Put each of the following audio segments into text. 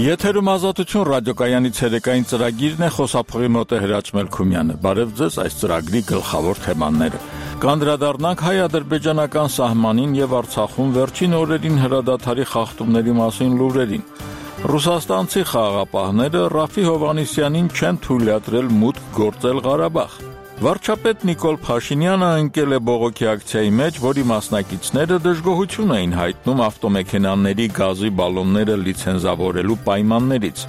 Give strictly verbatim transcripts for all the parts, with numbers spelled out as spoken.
Եթերում ազատություն ռադիոկայանի ցերեկային ծրագիրն է, խոսափողի մոտ է Հրաչ Մելքումյանը։ Բարև ձեզ, այս ծրագրի գլխավոր թեմաները։ Կանդրադառնանք հայ-ադրբեջանական սահմանին եւ Արցախում վերջին օրերին հրադադարի խախտումների մասին լուրերին։ Ռուսաստանցի խաղաղապահները Ռաֆի Հովհաննիսյանին չեն թույլատրել մուտք գործել Ղարաբաղ։ Վարչապետ Նիկոլ Փաշինյանը ընկել է բողոքի ակցիայի մեջ, որի մասնակիցները դժգոհություն էին հայտնում ավտոմեքենաների գազի բալոնները լիցենզավորելու պայմաններից։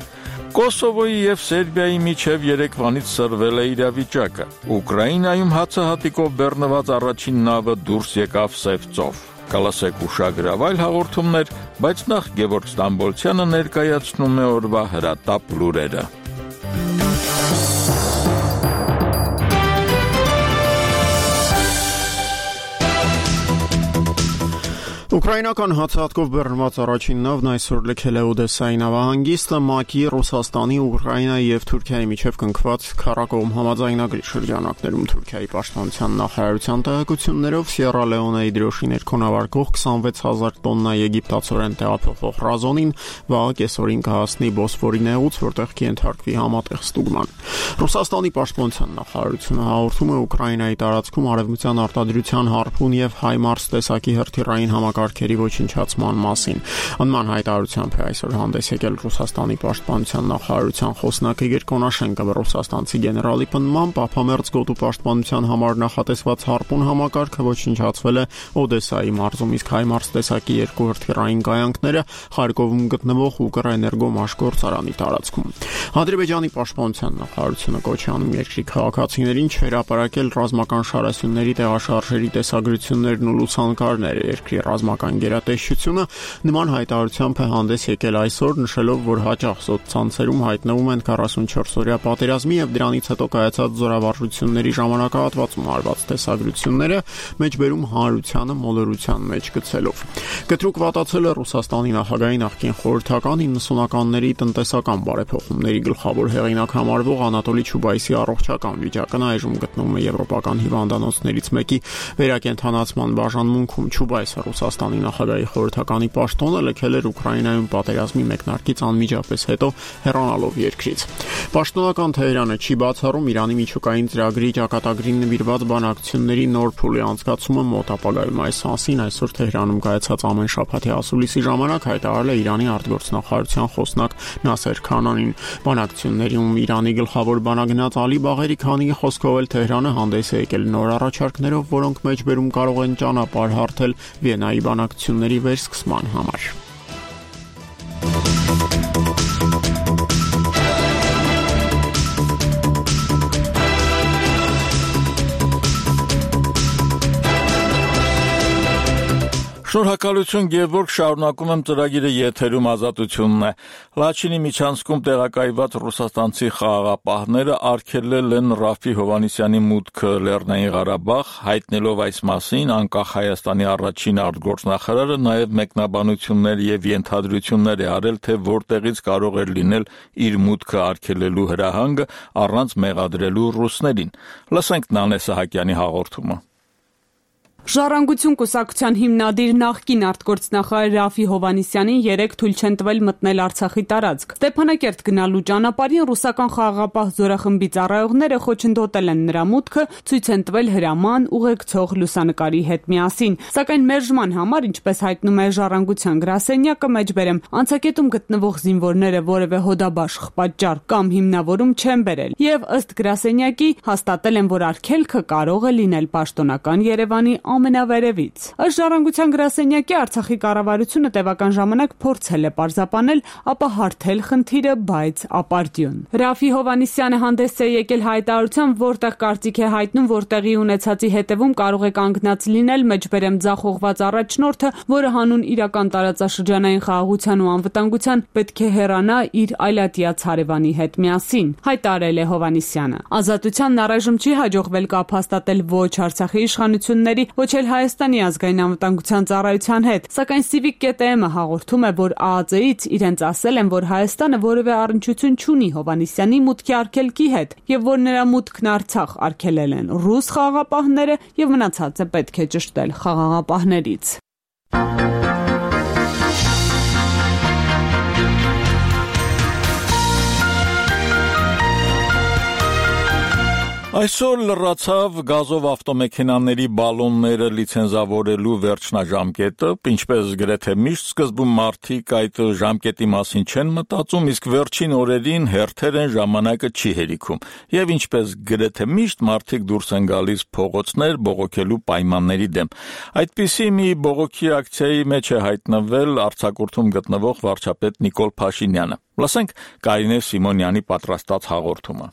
Կոսովոյի եւ Սերբիայի միջև երեկվանից սրվել է իրավիճակը։ Ուկրաինայում հացահատիկով բեռնված առաջին նավը դուրս եկավ Սև ծով։ Կլասեք ուշագրավ այլ հաղորդումներ, բայց նախ Գևորգ Ստամբոլցյանը ներկայացնում է օրվա հրատապ լուրերը։ Ուկրաինական հացահատկով բեռնված առաջին նավն այսօր լքել է Օդեսայի նավահանգիստը ՄԱԿ-ի, Ռուսաստանի, Ուկրաինայի եւ Թուրքիայի միջև կնքված քառակողմ համաձայնագրի շրջանակներում Թուրքիայի պաշտպանության նախարարության տեղեկություններով Սիերա Լեոնեի դրոշի ներքո նավարկող քսանվեց հազար տոննա եգիպտացորեն տեղափոխող ռազոնին վաղը կեսօրին կհասնի Բոսֆորի նեղուց, որտեղ կենթարկվի համատեղ ստուգման։ Ռուսաստանի պաշտպանության նախարարությունը հաղորդում է Ուկրաինայի տարածքում արևմտյան արտադրության հարփուն եւ Հայմարս տեսակի հրթիռային համակարգերի ոչնչացման մասին։ Անման հայտարարությամբ է այսօր հանդես եկել Ռուսաստանի պաշտպանության նախարարության խոսնակ Իգոր Կոնաշենկովը։ Ռուսաստանցի գեներալի պնդմամբ ափամերձ գոտու պաշտպանության համար նախատեսված հարփուն համակարգը ոչնչացվել է Օդեսայի մարզում, իսկ Հայմարս տեսակի երկու հրթիռային կայանքները Խարկովում գտնվող Ուկրաէներգո մաշգործարանի տարածքում։ Ադրբեջանի պաշտպանության նախարարությունը կոչ է անում երկրի քաղաքացիներին չհրապարակել ռազմական շարասյունների տեղաշարժերի տեսագրություններն ու լուսանկարները։ Երկրի ռազմական գերատեսչությունը նման հայտարարությամբ է հանդես եկել այսօր, նշելով, որ հաճախ սոցցանցերում հայտնվում են քառասունչորս-օրյա պատերազմի եւ դրանից հետո կայացած զորավարժությունների ժամանակահատվածում արված տեսագրությունները, մեջբերում հանրությանը մոլորության մեջ գցելով։ Կտրուկ վատացել է Ռուսաստանի նախագահի նախկին խորհրդական իննսունականների տնտեսական բարեփոխումների գլխավոր հեղինակ համարվող Անատոլի Չուբայսի առողջական վիճակն այժմ գտնվում է եվրոպական հիվանդանոցներից մեկի վերակենդանացման բաժանմունքում։ Չուբայսը Ռուսաստանի նախագահի խորհրդականի պաշտոնը լքել էր Ուկրաինայում պատերազմի մեկնարկից անմիջապես հետո հեռանալով երկրից։ Պաշտոնական Թեհրանը չի բացառում Իրանի միջուկային ծրագրի ճակատագրին նվիրված բանակցությունների նոր փուլի անցկացումը մոտ ապագայում։ Այս մասին այսօր Թեհրանում կայացած ամեն շաբաթի ասուլիսի ժամանակ հայտարարել է Իրանի արտգործնախարարության խոսնակ Նասեր Քանանին։ Բանակցություններում Իրանի գլխավոր բանագնաց Ալի Բաղերի Քանիի խոսքով էլ Թեհրանը հանդես է եկել նոր առաջարկներով, որոնք մեջբերում կարող են ճանապարհ հարթել Վիեննայի բանակցությունների վերսկսման համար։ Շնորհակալություն Գևորգ, շարունակում եմ ծրագիրը եթերում ազատությունն է։ Լաչինի միջանցքում տեղակայված ռուսաստանցի խաղաղապահները արգելել են Ռաֆի Հովհաննիսյանի մուտքը Լեռնային Ղարաբաղ, հայտնելով այս մասին անկախ Հայաստանի առաջին արտգործնախարարը նաև մեկնաբանություններ եւ ենթադրություններ է արել, թե որտեղից կարող էր լինել իր մուտքը արգելելու հրահանգը առանց մեղադրելու ռուսներին։ Լսենք Նանե Սահակյանի հաղորդումը։ Ժառանգություն կուսակցության հիմնադիր նախկին արտգործնախարար Ռաֆի Հովհաննիսյանին երեկ թույլ չեն տվել մտնել Արցախի տարածք։ Ստեփանակերտ գնալու ճանապարհին ռուսական խաղաղապահ զորախմբի ծառայողները խոչընդոտել են նրա մուտքը, ցույց են տվել հրաման ուղեկցող լուսանկարի հետ միասին։ Սակայն մերժման համար, ինչպես հայտնում է Ժառանգության գրասենյակը, մեջբերեմ անցակետում գտնվող զինվորները որևէ հոդաբաշխ պատճառ կամ հիմնավորում չեն բերել եւ ըստ գրասենյակի հաստատել են, որ արգելքը կարող է լինել պաշտոնական Երևանի ամենավերևից։ Ըստ Ժառանգության գրասենյակի Արցախի կառավարությունը տևական ժամանակ փորձել է պարզաբանել, ապա հարթել խնդիրը, բայց ապարդյուն։ Ռաֆի Հովհաննիսյանը հանդես է եկել հայտարարությամբ, որտեղ կարծիք է հայտնում, որ տեղի ունեցածի հետևում կարող է կանգնած լինել մեջբերեմ ձախողված առաջնորդը, որը հանուն իրական տարածաշրջանային խաղաղության ու անվտանգության պետք է հեռանա իր այլատիաց հարևանի հետ միասին, հայտարարել է Հովհաննիսյանը։ Ազատությանն առայժմ չի հաջողվել կապ հաստատել ոչ Արցախի իշխանությունների, ոչ էլ Հայաստանի ազգային անվտանգության ծառայության հետ, սակայն Civic կետ էմ-ը հաղորդում է, որ ա ա ձե-ից իրենց ասել են, որ Հայաստանը որևէ առնչություն չունի Հովհաննիսյանի մուտքի արգելքի հետ եւ որ նրա մուտքն Արցախ արգելել են ռուս խաղաղապահները եւ մնացածը պետք է ճշտել խաղաղապահներից։ Այսօր լրացավ գազով ավտոմեքենաների բալոնները լիցենզավորելու վերջնաժամկետը, ինչպես գրեթե միշտ սկզբում մարդիկ այդ ժամկետի մասին չեն մտածում, իսկ վերջին օրերին հերթեր են ժամանակը չի հերիքում, եւ ինչպես գրեթե միշտ մարդիկ դուրս են գալիս փողոցներ բողոքելու պայմանների դեմ։ Այդպիսի մի բողոքի ակցիայի մեջ է հայտնվել արձակուրդում գտնվող վարչապետ Նիկոլ Փաշինյանը։ Լսենք Կարինե Սիմոնյանի պատրաստած հաղորդումը։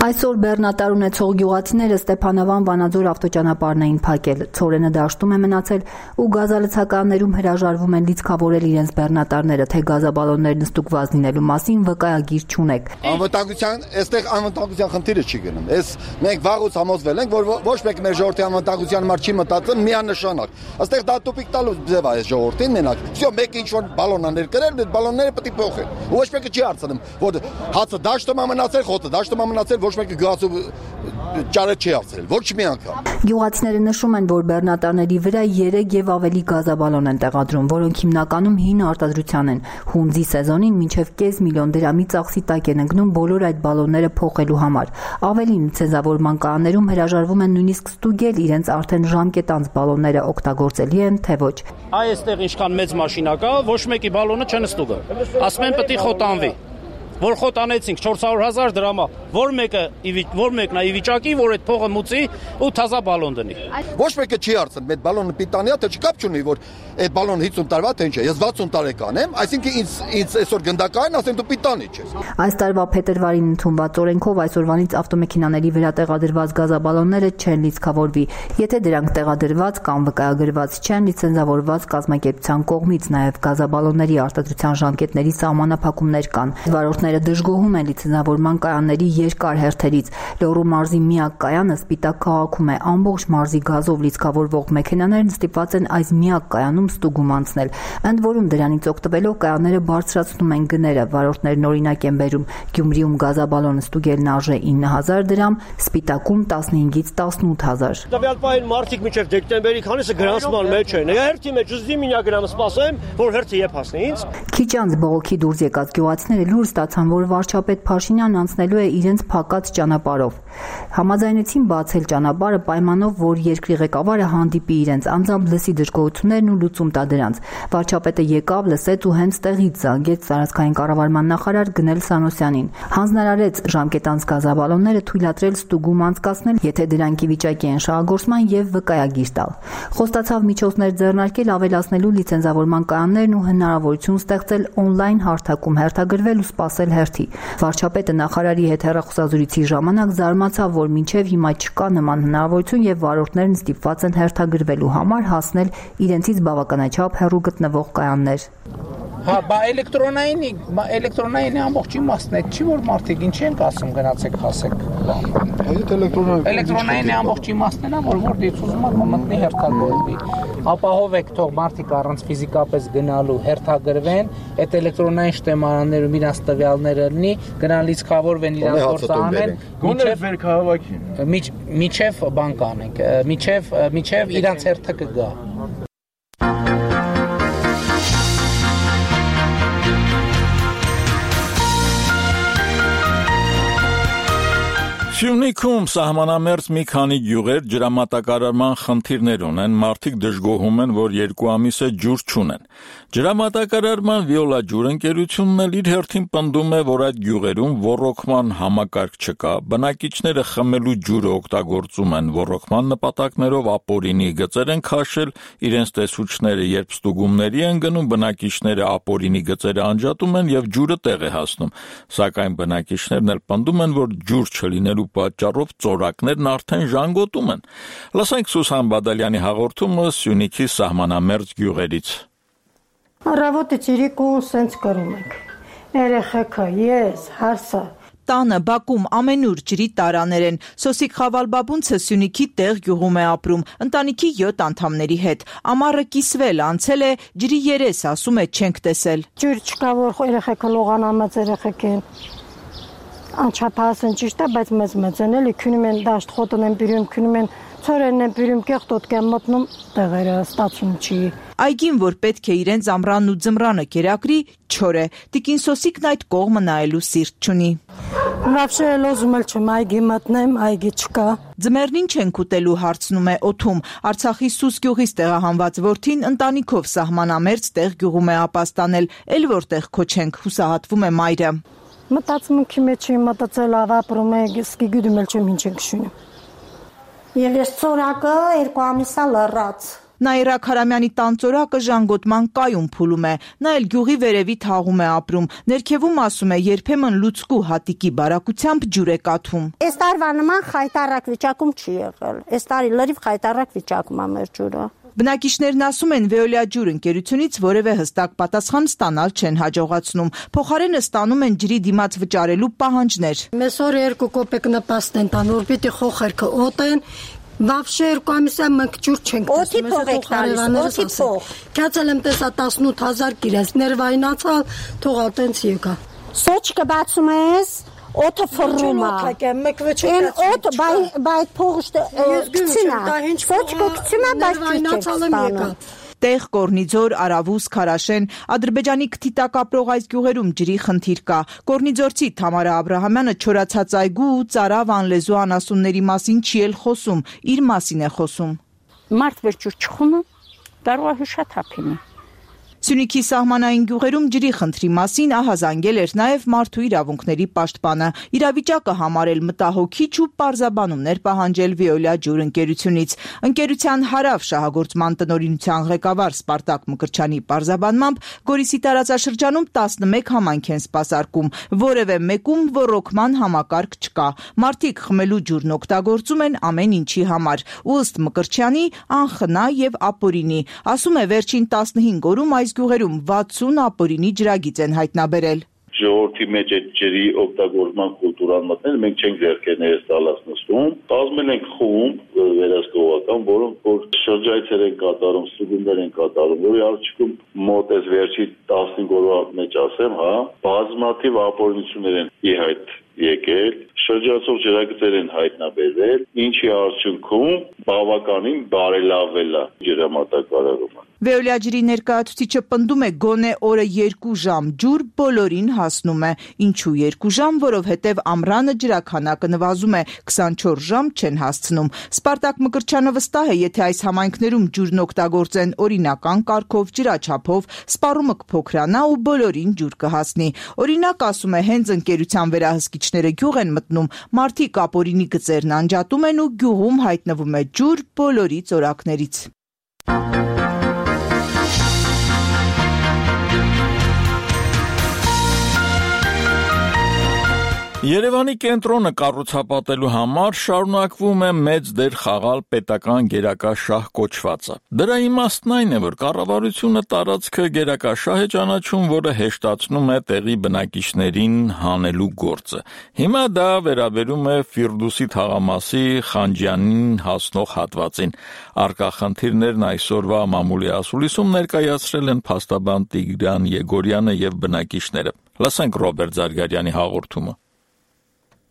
Այսօր բեռնատար ունեցող գյուղացիները Ստեփանավան Վանաձոր ավտոճանապարհն էին փակել։ Ցորենը դաշտում է մնացել ու գազալցականներում հրաժարվում են լիցքավորել իրենց բեռնատարները, թե գազաբալոններն ստուգված լինելու մասին վկայագիր չունեք։ Անվտանգության, այստեղ անվտանգության խնդիրը չի գնում։ Այս մենք վաղուց համոզվել ենք, որ ոչ մեկ մեր ժողովրդի անվտանգության համար չի մտածում միանշանակ։ Այստեղ դա տուպիկ տալու ձև է այս ժողովրդին մենակ։ Всё, մեկը ինչ որ բալոն ա ներկրել, այդ բալոնները պետք է փոխեն։ Ոչ մեկը չի հարցնում, որ հացը դաշտում է մնացել, խոտը դաշտում է մնացել, ոչ մեկը գազով ճարը չի արցրել, ոչ մի անգամ։ Գյուղացիները նշում են, որ բեռնատարների վրա երեք եւ ավելի գազաբալոն են տեղադրում, որոնք հիմնականում հին արտադրության են։ Հունձի սեզոնին մինչեւ կես միլիոն դրամի ծախսի տակ են ընկնում բոլոր այդ բալոնները փոխելու համար։ Ավելին, ցենզավորման կանոններում հրաժարվում են նույնիսկ ստուգել իրենց արդեն ժամկետանց բալոնները օգտագործելի են, թե ոչ։ Այստեղ ինչքան մեծ մաշինա կա, ոչ մեկի բալոնը չեն ստուգա։ Ասում են պետք է խոտանվի։ Որ խոտ անեցինք չորս հարյուր հազար դրամա, որ մեկը որ մեկն է ի վիճակի, որ այդ փողը մուծի ու թազա բալոն դնի։ Ոչ մեկը չի հարցնում, այդ բալոնը պիտանի է, թե չկապ չունի, որ այդ բալոնը հինգ տարվա թե ինչ է։ Ես վաթսուն տարեկան եմ, այսինքն ինձ ինձ այսօր գնդակային, ասեն դու պիտանի չես։ Այս տարվա փետրվարին ընդունված օրենքով այսօրվանից ավտոմեքենաների վրա տեղադրված գազաբալոնները չեն լիցքավորվի, եթե դրանք տեղադրված կամ վկայագրված չեն լիցենզավորված կազմակերպության կողմից, նաև գազաբալոնների արտադրության ժամկետների սահմանափակումներ կան։ Վարորդները դժգոհում են լիցենզավորման կայանների երկար հերթերից։ Լոռու մարզի միակ կայանը Սպիտակ քաղաքում է։ Ամբողջ մարզի գազով լիցքավորվող մեքենաներն ստիպված են այս միակ կայանում ստուգում անցնել։ Ընդ որում դրանից օգտվելով կայանները բարձրացնում են գները։ Վարորդներն օրինակ են բերում Գյումրիում գազաբալոնը ստուգելն արժե ինը հազար դրամ, Սպիտակում տասնհինգից տասնութ հազար։ Տվյալ պահին մարդիկ մինչև դեկտեմբերի քանիսը գրանցման մեջ են։ Հերթի մեջ ուզի մինա գրամ սպասեմ, որ հերթը եփ հասնի ինձ։ Քիչ անց բողոքի դուրս եկած գյուղացիները լուր ստացան, որ վարչապետ Փաշինյանն անցնելու է իրենց փակած ճանապարհով։ Համաձայնեցին բացել ճանապարհը պայմանով, որ երկրի ղեկավարը հանդիպի իրենց, անձամբ լսի դժգոհություններն ու լուծում տա դրանց։ Վարչապետը եկավ, լսեց ու հենց տեղից զանգեց տարածքային կառավարման նախարար Գնել Սանոսյանին։ Հանձնարարեց ժամկետանց գազաբալոնները թույլատրել ստուգում անցկացնել, եթե դրանք ի վիճակի են շահագործման եւ վկայագիր տալ։ Խոստացավ միջոցներ ձեռնարկել ավելացնելու լիցենզավորման կայաններն ու հնարավորություն ստեղծել օնլայն հարթակում հերթագրվել ու սպասել հերթի։ Վարչապետը նախարարի հետ հեռախոսազրույցի ժամանակ զարմացավ, որ մինչև հիմա չկա նման հնարավորություն եւ վարորդներն ստիպված են հերթագրվելու համար հասնել իրենցից բավականաչափ հեռու գտնվող կայաններ։ Հա, բա էլեկտրոնային, էլեկտրոնային ամբողջ իմաստն է, չի որ մարդիկ ինչ են ասում, գնացեք հասեք։ Այդ էլեկտրոնային Էլեկտրոնային ամբողջ իմաստն է, որ որտեղից ուզում ա մտնի հերթագրվի։ Ապահովեք թող մարդիկ առանց ֆիզիկապես գնալու հերթագրվեն, այդ էլեկտրոնային շտեմարաններում իրանց տվյալները լինի, գնան լիցքավորվեն իրանց գործը անեն, մինչև վեր քաղաքին։ Միջև բան կանենք, միջև միջև իրանց հերթը կգա։ Սյունիքում սահմանամերձ մի քանի գյուղեր ջրամատակարարման խնդիրներ ունեն, մարդիկ դժգոհում են, որ երկու ամիս է ջուր չունեն։ Ջրամատակարարման Վիոլա ջուրընկերությունն էլ իր հերթին պնդում է, որ այդ գյուղերում ոռոգման համակարգ չկա, բնակիչները խմելու ջուրը օգտագործում են ոռոգման նպատակներով, ապօրինի գծեր են քաշել, իրենց տեսուչները երբ ստուգումների են գնում, բնակիչները ապօրինի գծերը անջատում են եւ ջուրը տեղ է հասնում, սակայն բնակիչներն էլ պնդում են, որ ջուր չլինելու պատճառով ծորակներն արդեն ժանգոտում են։ Լսենք Սուսան Բադալյանի հաղորդումը Սյունիքի սահմանամերձ գյուղերից։ Առավոտը ճիրիկու սենց կրում ենք։ Երեխեքը, ես, հարսը։ Տանը Բաքում ամենուր ջրի տարաներ են։ Սոսիկ Խավալբաբունցը Սյունիքի տեղ գյուղում է ապրում, ընտանիքի յոթ անդամների հետ։ Ամառը կիսվել, անցել է, ջրի երես, ասում է, չենք տեսել։ Ջուր չկա, որ երեխեքը լողանամած երեխեք են։ Անչափահաս են ճիշտ է, բայց մեծ մեծ են էլի, քնում են դաշտ խոտն են բերում, քնում են ցորենն եմ բերում կեղտոտ կեմ մտնում տեղերը ստացում չի։ Այգին, որ պետք է իրենց ամռանն ու ձմռանը կերակրի, չոր է։ Տիկին Սոսիկն այդ կողմը նայելու սիրտ չունի։ Вообще լոզում էլ չեմ այգի մտնեմ, այգի չկա։ Ձմեռն ինչ ենք ուտելու հարցնում է Օթում։ Արցախի Սուս գյուղից տեղահանված որդին ընտանիքով սահմանամերձ տեղ գյուղում է ապաստանել, էլ որտեղ քոչենք, հուսահատվում է մայրը։ Մտածմունքի մեջ եմ մտածել ավապրում է, սկի գյուդում էլ չեմ ինչ ենք շունում։ Եվ ես ծորակը երկու ամիսա լռած։ Նաիրա Քարամյանի տան ծորակը ժանգոտման կայուն փուլում է, նա էլ գյուղի վերևի թաղում է ապրում, ներքևում ասում է երբեմն լուցկու հատիկի բարակությամբ ջուր է կաթում։ Այս տարվա նման խայտարակ վիճակում չի եղել, այս տարի լրիվ խայտարակ վիճակում է մեր ջուրը։ Բնակիչներն ասում են Veolia ջուր ընկերությունից որևէ հստակ պատասխան ստանալ չեն հաջողացնում, փոխարենը ստանում են ջրի դիմաց վճարելու պահանջներ։ Մեզ օր երկու կոպեկ նպաստ են տան, որ պիտի խոխերքը օտեն, Вообще երկու ամիսա մենք ջուր չենք տեսնում, ես եք տալիս, օթի փող։ Քացել եմ տեսա տասնութ հազար կիրես, ներվայնացալ, թողա տենց եկա։ Սոճկը բացում ես, օդը ֆռում է։ Այն օդ բայ փողը կցինա։ Սոճկը կցինա, բայց չկցինա։ Տեղ, Կորնիձոր, Արավուս, Քարաշեն, Ադրբեջանի քթիտակ ապրող այս գյուղերում ջրի խնդիր կա։ Կորնիձորցի Թամարա Աբրահամյանը չորացած այգու ու ծարավ անլեզու անասունների մասին չի էլ խոսում, իր մասին է խոսում։ Մարդ վերջուր չխունը, կարող է հուշաթափինի։ Սյունիքի սահմանային գյուղերում ջրի խնդրի մասին ահազանգել էր նաև մարդու իրավունքների պաշտպանը, իրավիճակը համարել մտահոգիչ ու պարզաբանումներ պահանջել Veolia ջուր ընկերությունից։ Ընկերության հարավ շահագործման տնօրինության ղեկավար Սպարտակ Մկրտչյանի պարզաբանմամբ Գորիսի տարածաշրջանում տասնմեկ համայնք են սպասարկում, որևէ մեկում ոռոգման համակարգ չկա։ Մարդիկ խմելու ջուրն օգտագործում են ամեն ինչի համար։ Ու ըստ Մկրտչյանի անխնա եւ ապօրինի։ Ասում է վերջին տասնհինգ օրում այս գյուղերում վաթսուն ապօրինի ջրագիծ են հայտնաբերել։ Ժողովրդի մեջ այդ ջրի օգտագործման կուլտուրան մտնել, մենք չենք ձեռքերներս տալած նստում, կազմել ենք խումբ վերահսկողական, որոնք որ շրջայցեր են կատարում, ստուդենտներ են կատարում, որի արդյունքում մոտ այս վերջի տասնհինգ օրվա մեջ ասեմ, հա, բազմաթիվ ապօրինություններ են ի հայտ եկել, շրջացող ջրագծեր են հայտնաբերվել, ինչի արդյունքում բավականին բարելավել է ջրամատակարարումը։ Veolia ջրի ներկայացուցիչը պնդում է գոնե օրը երկու ժամ ջուր բոլորին հասնում է։ Ինչու երկու ժամ, որովհետև ամռանը ջրաքանակը նվազում է, քսանչորս ժամ չեն հասցնում։ Սպարտակ Մկրտչյանը վստահ է, եթե այս համայնքներում ջուրն օգտագործեն օրինական կարգով, ջրաչափով, սպառումը կփոքրանա ու բոլորին ջուր կհասնի։ Օրինակ, ասում է, հենց ընկերության վերահսկիչները գյուղ են մտնում, մարդիկ ապօրինի գծերն անջատում են ու գյուղում հայտնվում է ջուր բոլորի ծորակներից։ Երևանի կենտրոնը կառուցապատելու համար շարունակվում է մեծ դեր խաղալ պետական գերակաշահ կոչվածը։ Դրա իմաստն այն է, որ կառավարությունը տարածքը գերակաշահ է ճանաչում, որը հեշտացնում է տեղի բնակիչներին հանելու գործը։ Հիմա դա վերաբերում է Ֆիրդուսի թաղամասի Խանջյանին հասնող հատվածին։ Առկա խնդիրներն այսօրվա մամուլի ասուլիսում ներկայացրել են փաստաբան Տիգրան Եգորյանը եւ բնակիչները։ Լսենք Ռոբերտ Զարգարյանի հաղորդումը։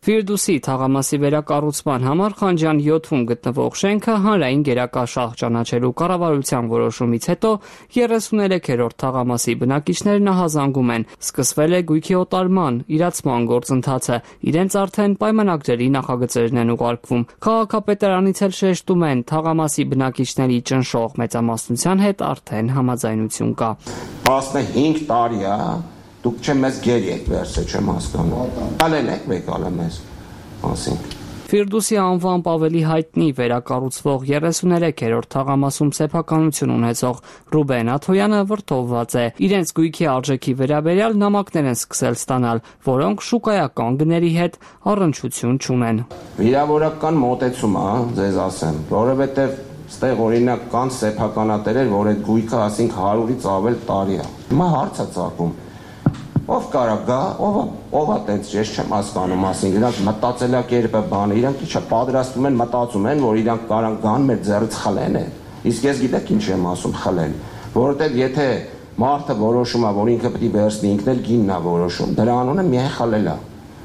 Ֆիրդուսի թաղամասի վերակառուցման համար Խանջյան յոթում գտնվող շենքը հանրային գերակաշահ ճանաչելու կառավարության որոշումից հետո երեսուներեքերորդ թաղամասի բնակիչներն ահազանգում են։ Սկսվել է գույքի օտարման, իրացման գործընթացը, իրենց արդեն պայմանագրերի նախագծերն են ուղարկվում։ Քաղաքապետարանից էլ շեշտում են, թաղամասի բնակիչների ճնշող մեծամասնության հետ արդեն համաձայնություն կա։ տասնհինգ տարի է Դուք չեմ մեզ գերի եք վերցե չեմ հասկանում։ Ալեն եք մեկալ մեզ ասենք։ Ֆիրդուսի անվամբ ավելի հայտնի վերակառուցվող երեսուներեքերորդ թաղամասում սեփականություն ունեցող Ռուբեն Աթոյանը վրդովված է։ Իրենց գույքի արժեքի վերաբերյալ նամակներ են սկսել ստանալ, որոնք շուկայական գների հետ առնչություն չունեն։ Վիրավորական մոտեցում է, ձեզ ասեմ, որովհետև ստեղ օրինակ կան սեփականատերեր, որ այդ գույքը ասենք հարյուրից ավել տարի է։ Հիմա հարց է ծագում։ Ով կարա գա, ով ով է տենց ես չեմ հասկանում, ասին իրանք մտածելակերպը բանը, իրանք իչա պատրաստում են, մտածում են, որ իրանք կարան գան մեր ձեռից խլեն է։ Իսկ ես գիտեք ինչ եմ ասում խլեն, որովհետև եթե մարդը որոշում է, որ ինքը պետք է վերցնի, ինքն էլ գինն է որոշում, դրա անունը միայն խլել է։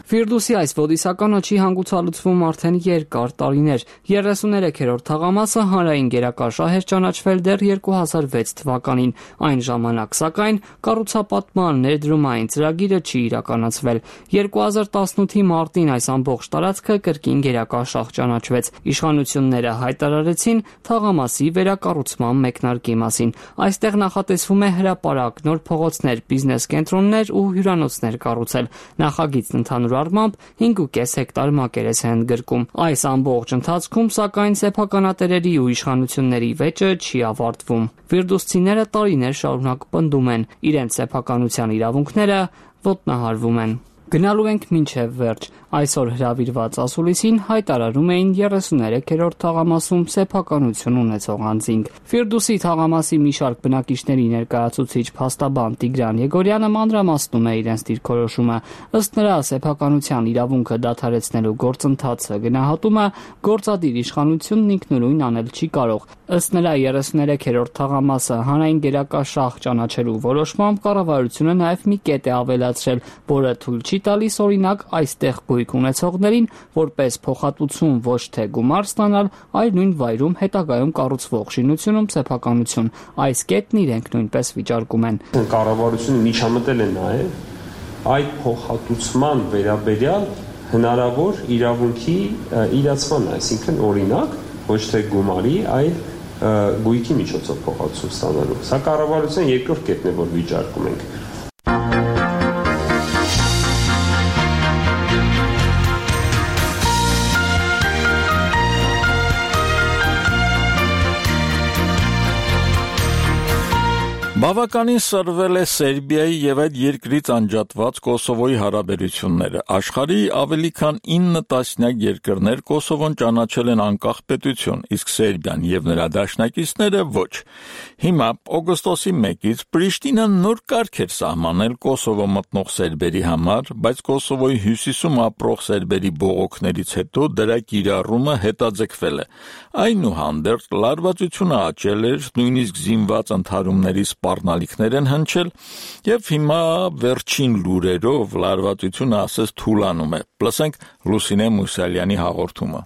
Ֆիրդուսի այս ոդիսականը չի հանգուցալուծվում արդեն երկար տարիներ։ երեսուներեքերորդ թաղամասը հանրային գերակաշահ էր ճանաչվել դեռ երկու հազար վեց թվականին։ Այն ժամանակ, սակայն, կառուցապատման ներդրումային ծրագիրը չի իրականացվել։ երկու հազար տասնութի մարտին այս ամբողջ տարածքը կրկին գերակաշահ ճանաչվեց։ Իշխանությունները հայտարարեցին թաղամասի վերակառուցման մեկնարկի մասին։ Այստեղ նախատեսվում է հրապարակ, նոր փողոցներ, բիզնես կենտրոններ ու հյուրանոցներ կառուցել։ Նախագիծն ընդհանուր առմամբ հինգ ու կես հեկտար մակերես է ընդգրկում։ Այս ամբողջ ընթացքում, սակայն, սեփականատերերի ու իշխանությունների վեճը չի ավարտվում։ Ֆիրդուսցիները տարիներ շարունակ պնդում են, իրենց սեփականության իրավունքները ոտնահարվում են։ Գնալու ենք մինչև վերջ։ Այսօր հրավիրված ասուլիսին հայտարարում էին երեսուներեքերորդ թաղամասում սեփականություն ունեցող անձինք։ Ֆիրդուսի թաղամասի մի շարք բնակիչների ներկայացուցիչ փաստաբան Տիգրան Եգորյանը մանրամասնում է իրենց դիրքորոշումը։ Ըստ նրա, սեփականության իրավունքը դադարեցնելու գործընթացը գնահատումը գործադիր իշխանությունն ինքնուրույն անել չի կարող։ Ըստ նրա, երեսուներեքերորդ թաղամասը հանրային գերակաշահ ճանաչելու որոշմամբ կառավարությունը նաև մի կետ է ավելացրել, որը թույլ չի տալիս օրինակ այստեղ գույք ունեցողներին որպես փոխհատուցում ոչ թե գումար ստանալ, այլ նույն վայրում հետագայում կառուցվող շինությունում սեփականություն։ Այս կետն իրենք նույնպես վիճարկում են։ Կառավարությունը միջամտել է նաև այդ փոխհատուցման վերաբերյալ հնարավոր իրավունքի իրացման, այսինքն օրինակ ոչ թե գումարի, այլ գույքի միջոցով փոխհատուցում ստանալու։ Սա կառավարության երկրորդ կետն է, որ վիճարկում ենք։ Բավականին սրվել է Սերբիայի եւ այդ երկրից անջատված Կոսովոյի հարաբերությունները։ Աշխարհի ավելի քան ինը տասնյակ երկրներ Կոսովոն ճանաչել են անկախ պետություն, իսկ Սերբիան եւ նրա դաշնակիցները ոչ։ Հիմա օգոստոսի մեկից Պրիշտինան նոր կարգ էր սահմանել Կոսովո մտնող սերբերի համար, բայց Կոսովոյի հյուսիսում ապրող սերբերի բողոքներից հետո դրա կիրառումը հետաձգվել է։ Այնուհանդերձ լարվածությունը աճել էր, նույնիսկ զինված ընդհարումների սպառնալիքներ են հնչել, եւ հիմա վերջին լուրերով լարվածությունը ասես թուլանում է։ Լսենք Լուսինե Մուսալյանի հաղորդումը։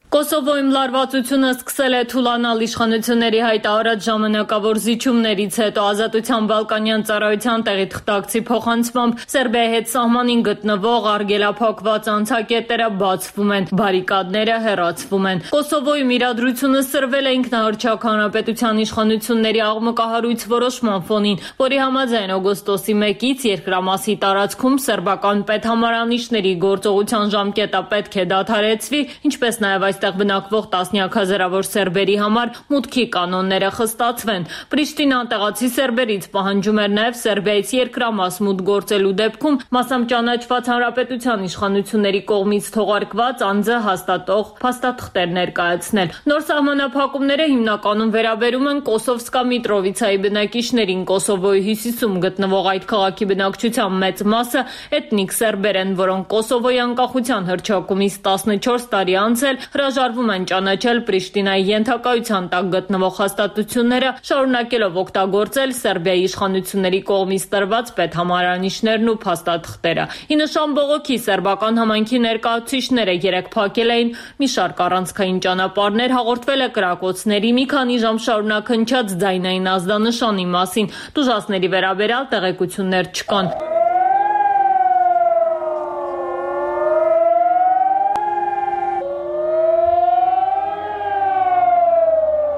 Կոսովոյում լարվածությունը սկսել է թուլանալ իշխանությունների հայտարարած ժամանակավոր զիջումներից հետո Ազատության Բալկանյան ծառայության տեղի թղթակցի փոխանցմամբ Սերբիայի հետ սահմանին գտնվող արգելափակված անցակետերը բացվում են, բարիկադները հեռացվում են։ Կոսովոյում իրադրությունը սրվել է ինքնահռչակ հանրապետության իշխանությունների աղմկահարույց որոշման ֆոնին, որի համաձայն օգոստոսի մեկից երկրամասի տարածքում սերբական պետհամարանիշների գործողության ժամկետը պետք է դադարեցվի, ինչպես նաև այստեղ բնակվող տասնյակ հազարավոր սերբերի համար մուտքի կանոնները խստացվեն։ Պրիշտինան տեղացի սերբերից պահանջում էր նաև Սերբիայից երկրամաս մուտք գործելու դեպքում մասամբ ճանաչված հանրապետության իշխանությունների կողմից թողարկված անձը հաստատող փաստաթղթեր ներկայացնել։ Նոր սահմանափակումները հիմնականում վերաբերում են Կոսովսկա Միտրովիցայի բնակիչներին։ Կոսովոյի հյուսիսում գտնվող այդ քաղաքի բնակչության մեծ մասը էթնիկ սերբեր են, որոնք Կոսովոյի անկախության հռչակումից տասնչորս տարի անցել հրաժարվում են ճանաչել Պրիշտինայի ենթակայության տակ գտնվող հաստատությունները, շարունակելով օգտագործել Սերբիայի իշխանությունների կողմից տրված պետհամարանիշներն ու փաստաթղթերը։ Ի նշան բողոքի սերբական համայնքի ներկայացուցիչները երեկ փակել էին մի շարք առանցքային ճանապարհներ, հաղորդվել է կրակոցների, մի քանի ժամ շարունակ հնչած ձայնային ազդանշանի մասին։ Տուժածների վերաբերյալ տեղեկություններ չկան։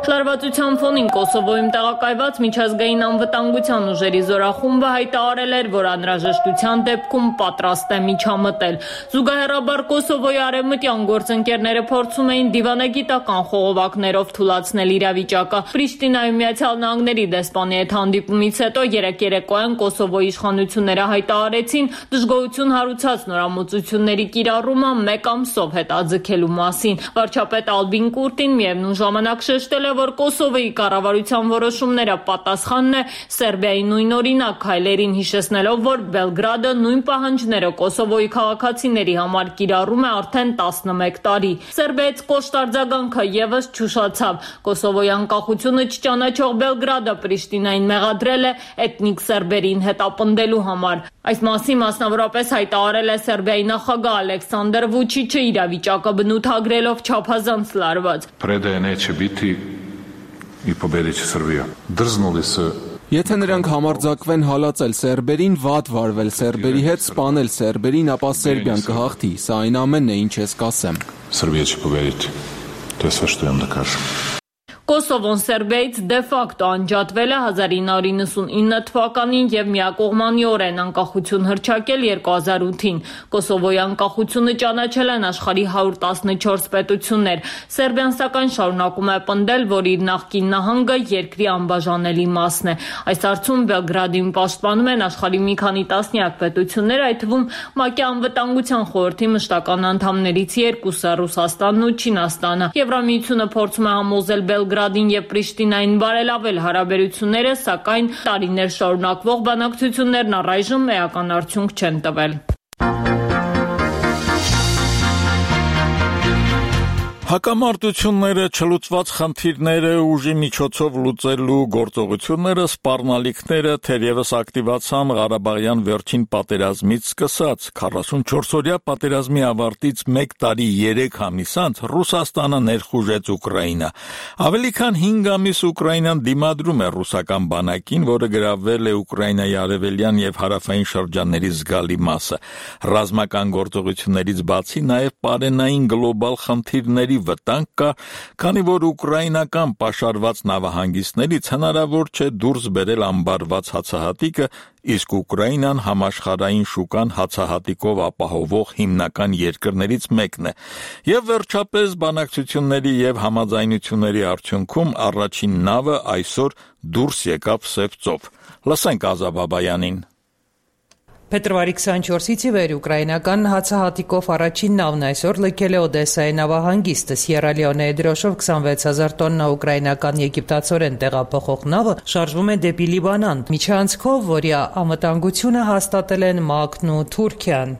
Լարվածության ֆոնին Կոսովոյում տեղակայված միջազգային անվտանգության ուժերի զորախումբը հայտարարել էր, որ անհրաժեշտության դեպքում պատրաստ է միջամտել։ Զուգահեռաբար Կոսովոյի արևմտյան գործընկերները փորձում էին դիվանագիտական խողովակներով թուլացնել իրավիճակը։ Պրիշտինայում Միացյալ Նահանգների դեսպանի հետ հանդիպումից հետո երեկ երեկոյան Կոսովոյի իշխանությունները հայտարարեցին դժգոհություն հարուցած նորամուծությունների կիրառումը մեկ ամսով հետաձգելու մասին։ Վարչապետ Ալբին Կուրտին միևնույն ժամանակ շեշտել է, որ որ Կոսովոյի կառավարության որոշումները պատասխանն է Սերբիայի նույնօրինակ քայլերին, հիշեցնելով, որ Բելգրադը նույն պահանջները Կոսովոյի քաղաքացիների համար կիրառում է արդեն տասնմեկ տարի։ Սերբիայից կոշտ արձագանքը եւս չուշացավ։ Կոսովոյի անկախությունը չճանաչող Բելգրադը Պրիշտինային մեղադրել է էթնիկ սերբերին հետապնդելու համար։ Այս մասին մասնավորապես հայտարարել է Սերբիայի նախագահ Ալեքսանդր Վուչիչը, իրավիճակը բնութագրելով չափազանց լարված։ Եթե նրանք համարձակվեն հալածել սերբերին, վատ վարվել սերբերի հետ, սպանել սերբերին, ապա Սերբիան կհաղթի։ Սա այն ամենն է, ինչ ես կասեմ։ Կոսովոն Սերբիայից դե ֆակտո անջատվել է հազար ինը հարյուր իննսունինը թվականին եւ միակողմանիորեն անկախություն հռչակել երկու հազար ութին։ Կոսովոյի անկախությունը ճանաչել են աշխարհի հարյուր տասնչորս պետություններ։ Սերբիան սակայն շարունակում է պնդել, որ իր նախկին նահանգը երկրի անբաժանելի մասն է։ Այս հարցում Բելգրադին պաշտպանում են աշխարհի մի քանի տասնյակ պետություններ, այդ թվում ՄԱԿ-ի անվտանգության խորհրդի մշտական անդամներից երկուսը՝ Ռուսաստանն ու Չինաստանը։ Եվրամիությունը փորձում է համոզել Բելգրադին եւ Պրիշտինային բարելավել հարաբերությունները, սակայն տարիներ շարունակվող բանակցություններն առայժմ էական արդյունք չեն տվել։ Հակամարտությունները, չլուծված խնդիրները, ուժի միջոցով լուծելու գործողությունները, սպառնալիքները թերևս ակտիվացան Ղարաբաղյան վերջին պատերազմից սկսած։ քառասունչորսօրյա պատերազմի ավարտից մեկ տարի երեք ամիս անց Ռուսաստանը ներխուժեց Ուկրաինա։ Ավելի քան հինգ ամիս Ուկրաինան դիմադրում է ռուսական բանակին, որը գրավել է Ուկրաինայի արևելյան եւ հարավային շրջանների զգալի մասը։ Ռազմական գործողություններից բացի նաեւ պարենային գլոբալ խնդիրների վտանգ կա, քանի որ ուկրաինական պաշարված նավահանգիստներից հնարավոր չէ դուրս բերել ամբարված հացահատիկը, իսկ Ուկրաինան համաշխարհային շուկան հացահատիկով ապահովող հիմնական երկրներից մեկն է։ Եվ վերջապես բանակցությունների եւ համաձայնությունների արդյունքում առաջին նավը այսօր դուրս եկավ Սև ծով։ Լսենք Ազա Բաբայանին։ Փետրվարի քսանչորսից ի վեր ուկրաինական հացահատիկով առաջին նավն այսօր լքել է Օդեսայի նավահանգիստը։ Սիերա Լեոնեի դրոշով քսանվեց հազար տոննա ուկրաինական եգիպտացորեն տեղափոխող նավը շարժվում է դեպի Լիբանան, միջանցքով, որի անվտանգությունը հաստատել են ՄԱԿ-ն ու Թուրքիան։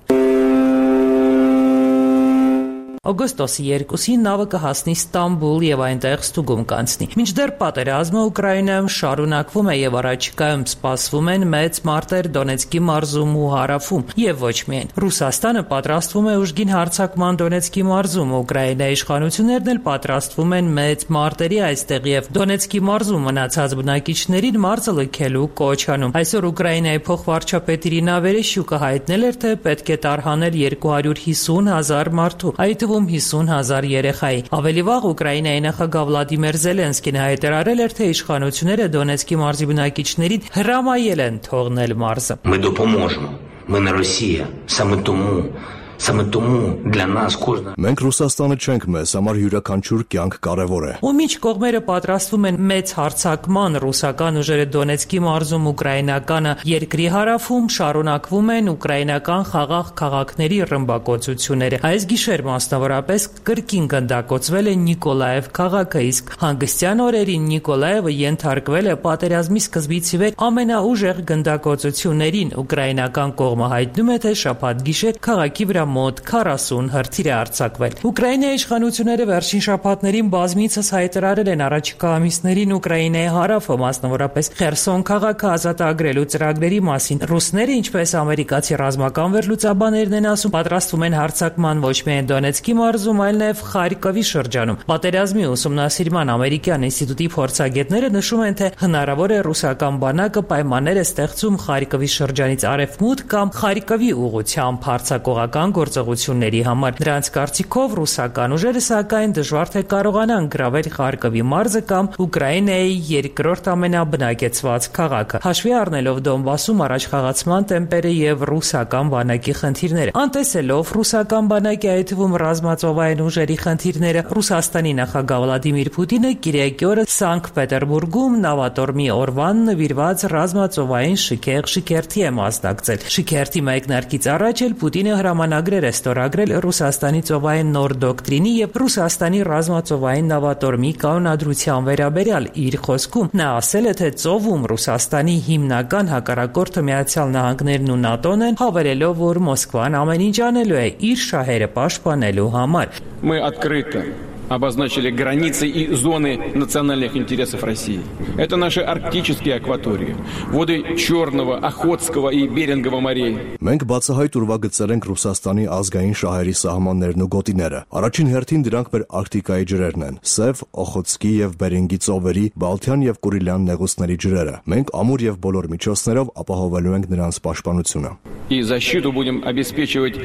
Օգոստոսի երկուսին նավը կհասնի Ստամբուլ եւ այնտեղ ստուգում կանցնի։ Մինչդեռ պատերազմը Ուկրաինայում շարունակվում է եւ առաջիկայում սպասվում են մեծ մարտեր Դոնեցկի մարզում ու հարավում եւ ոչ միայն։ Ռուսաստանը պատրաստվում է ուժգին հարձակման Դոնեցկի մարզում, Ուկրաինայի իշխանություններն էլ պատրաստվում են մեծ մարտերի այստեղ եւ Դոնեցկի մարզում մնացած բնակիչներին մարզը լքելու կոչ անում։ Այսօր Ուկրաինայի փոխվարչապետ Իրինա Վերեշյուկը հայտնել էր, թե պետք է տարհանել երկու հարյուր հիսուն հազար մարդու, այդ թվում հիսուն հազար երեխայի։ Ավելի վաղ Ուկրաինայի նախագահ Վլադիմիր Զելենսկին հայտարարել էր, թե իշխանությունները Դոնեցկի մարզի բնակիչներին հրամայել են թողնել մարզը։ Ми допоможемо. Ми не Росія. Саме тому Саме тому для нас кожна Մենք Ռուսաստանը չենք, մեզ համար յուրաքանչյուր կյանք կարևոր է։ Ու միջ կողմերը պատրաստվում են մեծ հարձակման, ռուսական ուժերը Դոնեցկի մարզում, ուկրաինականը երկրի հարավում շարունակվում են ուկրաինական խաղաղ քաղաքների ռմբակոծությունները։ Այս գիշեր մասնավորապես կրկին գնդակոծվել է Նիկոլաև քաղաքը, իսկ հանգստյան օրերին Նիկոլաևը ենթարկվել է պատերազմի սկզբից ի վեր ամենաուժեղ գնդակոծություններին։ Ուկրաինական կողմը հայտնում է, թե շաբաթ գիշեր քաղաքի վրա մոտ քառասուն հրթիռ է արձակվել։ Ուկրաինայի իշխանությունները վերջին շաբաթներին բազմիցս հայտարարել են առաջիկա ամիսներին Ուկրաինայի հարավը, մասնավորապես Խերսոն քաղաքը ազատագրելու ծրագրերի մասին։ Ռուսները, ինչպես ամերիկացի ռազմական վերլուծաբաններն են ասում, պատրաստվում են հարձակման ոչ միայն Դոնեցկի մարզում, այլ նաև Խարկովի շրջանում։ Պատերազմի ուսումնասիրման ամերիկյան ինստիտուտի փորձագետները նշում են, թե հնարավոր է ռուսական բանակը պայմաններ է ստեղծում Խարկովի շրջանից արևմուտք կամ Խարկովի ուղղությամբ հարձակողական գործողությունների համար։ Նրանց կարծիքով ռուսական ուժերը սակայն դժվար թե կարողանան գրավել Խարկովի մարզը կամ Ուկրաինայի երկրորդ ամենաբնակեցված քաղաքը։ Հաշվի առնելով Դոնբասում առաջխաղացման տեմպերը եւ ռուսական բանակի խնդիրները, անտեսելով ռուսական բանակի, այդ թվում ռազմածովային ուժերի խնդիրները, Ռուսաստանի նախագահ Վլադիմիր Պուտինը կիրակի օրը Սանկտ Պետերբուրգում նավատորմի օրվան նվիրված ռազմածովային շքեղ շքերթի է մասնակցել։ Շքերթի մեկնարկից առաջ էլ Պուտինը հրամանագրել հայտարարագրեր է ստորագրել Ռուսաստանի ծովային նոր դոկտրինի եւ Ռուսաստանի ռազմածովային նավատորմի կանոնադրության վերաբերյալ։ Իր խոսքում նա ասել է, թե ծովում Ռուսաստանի հիմնական հակառակորդը Միացյալ Նահանգներն ու ՆԱՏՕ-ն են, հավելելով, որ Մոսկվան ամեն ինչ անելու է իր շահերը պաշտպանելու համար։ Мы открыто обозначили границы и зоны национальных интересов России. Это наши арктические акватории, воды Черного, Охотского и Берингового морей. Մենք բացահայտ ուրվագծել ենք Ռուսաստանի ազգային շահերի սահմաններն ու գոտիները։ Առաջին հերթին դրանք մեր Արկտիկայի ջրերն են՝ Սև, Օխոտսկի եւ Բերինգի ծովերի, Բալթյան եւ Կուրիլյան նեղուցների ջրերը։ Մենք ամուր եւ բոլոր միջոցներով ապահովելու ենք նրանց պաշտպանությունը։ И защиту будем обеспечивать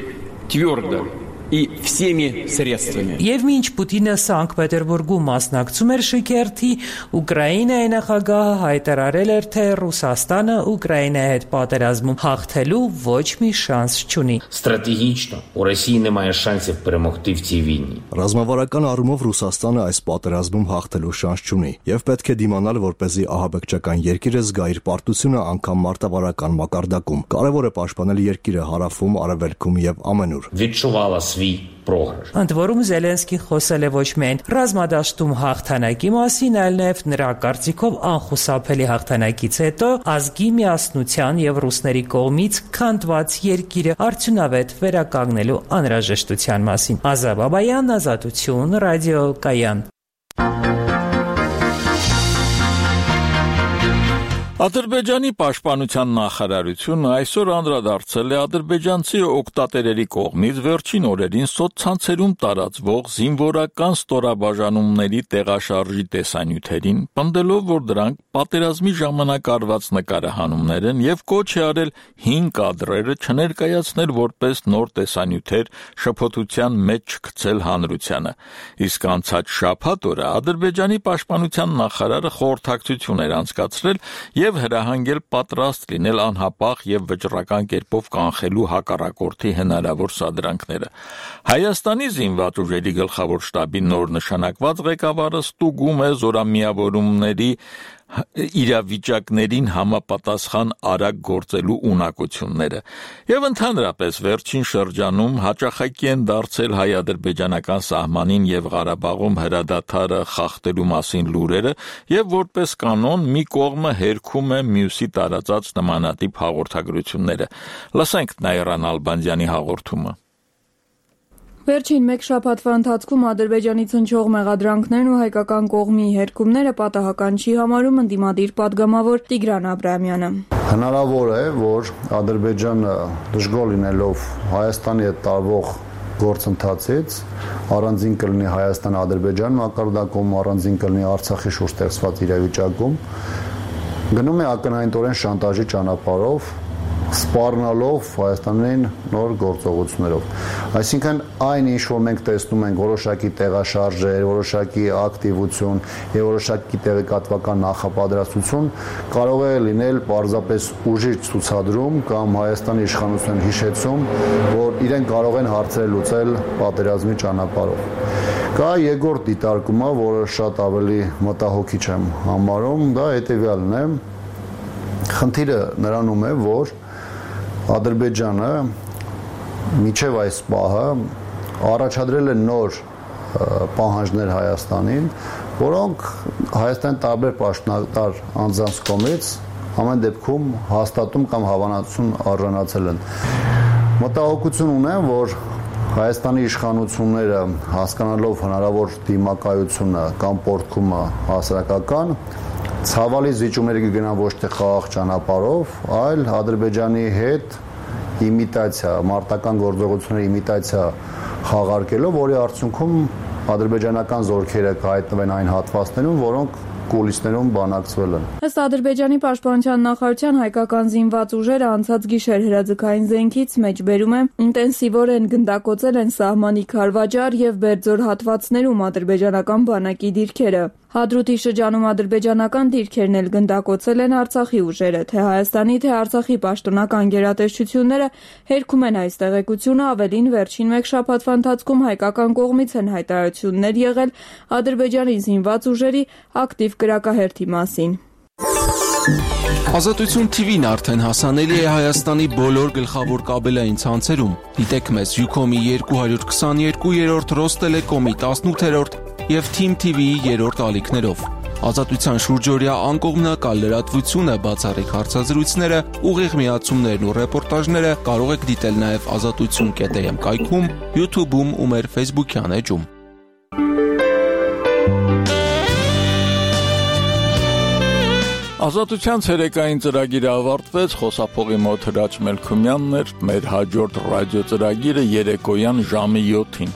твердо и всеми средствами. Եվ մինչ Պուտինը Սանկտ Պետերբուրգում մասնակցում էր շքերթի, Ուկրաինայի նախագահը հայտարարել էր, թե Ռուսաստանը Ուկրաինայի հետ պատերազմում հաղթելու ոչ մի շանս չունի։ Стратегічно у Росії немає шансів перемогти в цій війні. Ռազմավարական առումով Ռուսաստանը այս պատերազմում հաղթելու շանս չունի եւ պետք է դիմանալ, որպեսզի ահաբեկչական երկիրը զգա իր պարտությունը անգամ մարտավարական մակարդակում։ Կարևոր է պաշտպանել երկիրը հարավում, արևելքում եւ ամենուր։ Відчувала свій програш. Ընդ որում Զելենսկին խոսել է ոչ միայն ռազմադաշտում հաղթանակի մասին, այլ նաև նրա կարծիքով անխուսափելի հաղթանակից հետո ազգի միասնության եւ ռուսների կողմից քանդված երկիրը արդյունավետ վերականգնելու անհրաժեշտության մասին։ Ազա Բաբայան, Ազատություն, Ռադիո Կայան։ Ադրբեջանի պաշտպանության նախարարությունը այսօր անդրադարձել է ադրբեջանցի օգտատերերի կողմից վերջին օրերին սոցցանցերում տարածվող զինվորական ստորաբաժանումների տեղաշարժի տեսանյութերին, պնդելով, որ դրանք պատերազմի ժամանակ արված նկարահանումներ են եւ կոչ է արել հին կադրերը չներկայացնել որպես նոր տեսանյութեր, շփոթության մեջ չգցել հանրությանը։ Իսկ անցած շաբաթ օրը Ադրբեջանի պաշտպանության նախարարը խորհրդակցություն էր անցկացրել եւ հրահանգել պատրաստ լինել անհապաղ եւ վճռական կերպով կանխելու հակառակորդի հնարավոր սադրանքները։ Հայաստանի զինված ուժերի գլխավոր շտաբի նոր նշանակված ղեկավարը ստուգում է զորամիավորումների իրավիճակներին համապատասխան արագ գործելու ունակությունները եւ ընդհանրապես վերջին շրջանում հաճախակի են դարձել հայ-ադրբեջանական սահմանին եւ Ղարաբաղում հրադադարը խախտելու մասին լուրերը եւ որպես կանոն մի կողմը հերքում է մյուսի տարածած նմանատիպ հաղորդագրությունները։ Լսենք Նայիրան Ալբանդյանի հաղորդումը։ Վերջին մեկ շաբաթվա ընթացքում Ադրբեջանից հնչող մեղադրանքներն ու հայկական կողմի հերքումները պատահական չի համարում ընդդիմադիր падգամավոր Տիգրան Աբրահամյանը։ Հնարավոր է, որ Ադրբեջանը դժգոհ լինելով Հայաստանի հետ տարվող գործընթացից առանձին կլինի Հայաստան-Ադրբեջան մակարդակում, առանձին կլինի Արցախի շուրջ ստեղծված իրավիճակում, գնում է ակնհայտորեն շանտաժի ճանապարհով, սպառնալով Հայաստանին նոր գործողություններով։ Այսինքն այն ինչ որ մենք տեսնում ենք որոշակի տեղաշարժեր, որոշակի ակտիվություն եւ որոշակի տեղեկատվական նախապատրաստություն կարող է լինել պարզապես ուժի ցուցադրում կամ Հայաստանի իշխանության հիշեցում, որ իրենք կարող են հարցեր լուծել պատերազմի ճանապարհով։ Կա երկրորդ դիտարկումը, որը շատ ավելի մտահոգիչ եմ համարում, դա հետեւյալն է։ Խնդիրը նրանում է, որ Ադրբեջանը միջև այս պահը առաջադրել է նոր պահանջներ Հայաստանին, որոնք Հայաստանի տարբեր պաշտոնատար անձանց կողմից ամեն դեպքում հաստատում կամ հավանացում արժանացել են։ Մտահոգություն ունեմ, որ Հայաստանի իշխանությունները հասկանալով հնարավոր դիմակայությունը կամ պոռթկումը հասարակական ցավալի զիջումների կգնան ոչ թե խաղաղ ճանապարհով, այլ Ադրբեջանի հետ իմիտացիա, մարտական գործողությունների իմիտացիա խաղարկելով, որի արդյունքում ադրբեջանական զորքերը կհայտնվեն այն հատվածներում, որոնք կուլիսներում բանակցվել են։ Ըստ Ադրբեջանի պաշտպանության նախարարության հայկական զինված ուժերը անցած գիշեր հրաձգային զենքից մեջբերում են ինտենսիվորեն գնդակոծել են սահմանի Քարվաճար եւ Բերձոր հատվածներում ադրբեջանական բանակի դիրքերը։ Հադրութի շրջանում ադրբեջանական դիրքերն էլ գնդակոծել են Արցախի ուժերը, թե Հայաստանի, թե Արցախի պաշտոնական գերատեսչությունները հերքում են այս տեղեկությունը, ավելին վերջին մեկ շաբաթվա ընթացքում հայկական կողմից են հայտարարություններ եղել Ադրբեջանի զինված ուժերի ակտիվ կրակահերթի մասին։ Ազատություն Թի Վին արդեն հասանելի է Հայաստանի բոլոր գլխավոր կաբելային ցանցերում։ Դիտեք մեզ Յուքոմի երկու հարյուր քսաներկու, Ռոստելեկոմի տասնութերորդ եւ Թիմ Թի Վիի երրորդ ալիքներով։ Ազատության շուրջօրյա անկողմնակալ լրատվությունը, բացառիկ հարցազրույցները, ուղիղ միացումներն ու ռեպորտաժները կարող եք դիտել նաեւ ազատություն կետ էմ կայքում, YouTube-ում ու մեր Facebook-յան էջում։ Ազատության ցերեկային ծրագիրը ավարտվեց, խոսափողի մոտ Հրաչ Մելքումյանն էր, մեր հաջորդ ռադիո ծրագիրը երեկոյան ժամը յոթին։